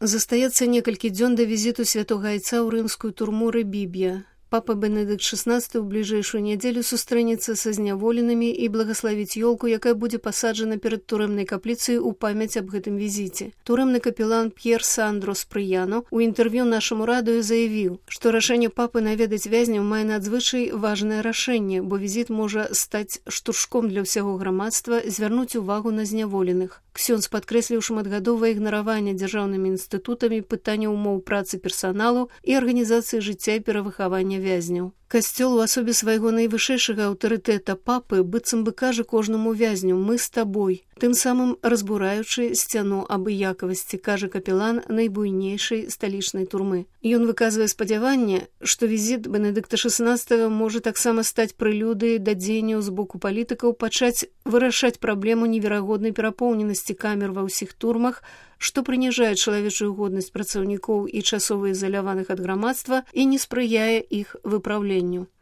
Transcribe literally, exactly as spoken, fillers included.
Застаецца некалькі дзён да візіту святога айца ў рымскую турму Рыбіб'я. Папа Бенедыкт шаснаццаты ў бліжэйшую нядзелю сустрэнецца са зняволенымі і благаславіць ёлку, якая будзе пасаджана перад турэмнай капліцай у памяць аб гэтым візіце. Турэмны капелан П'ер Сандро Спрыяно у інтэрв'ю нашаму радыё заявіў, што рашэнне папы наведаць вязняў мае надзвычай важнае рашэнне, бо візіт можа стаць штуршком для ўсяго грамадства, звярнуць увагу на зняволеных. Ксёндз падкрэсліў шматгадовае ігнараванне дзяржаўнымі інстытутамі пытання ўмоў працы персаналу і арганізацыі жыцця і перавыхавання вязняў. Касцёл у асобе свайго найвышэйшага аўтарытэта папы быццам бы кажа кожнаму вязню «Мы з табой», тым самым разбураючы сцяну абыякавасці, кажа капелан найбуйнейшай сталічнай турмы. Ён выказвае спадзяванне, што візіт Бенедыкта шаснаццатага можа таксама стаць прэлюдыяй да дзеянняў з боку палітыкаў пачаць вырашаць праблему неверагоднай перапоўненасці камер ва ўсіх турмах, што прыніжае чалавечую годнасць працаўнікоў і часова ізаляваных ад грамадства і не спрыяе іх выпраўленню.